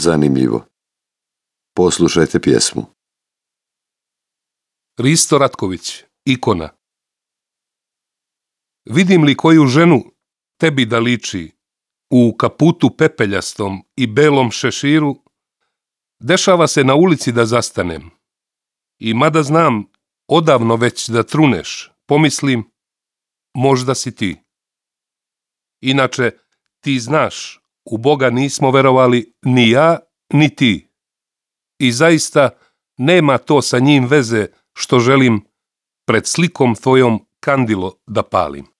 zanimljivo. Poslušajte pjesmu. Risto Ratković, ikona. Vidim li koju ženu tebi da liči u kaputu pepeljastom i belom šeširu, dešava se na ulici da zastanem. I mada znam odavno već da truneš, pomislim, možda si ti. Inače, ti znaš, u Boga nismo verovali ni ja, ni ti. I zaista nema to sa njim veze što želim pred slikom tvojom kandilo da palim.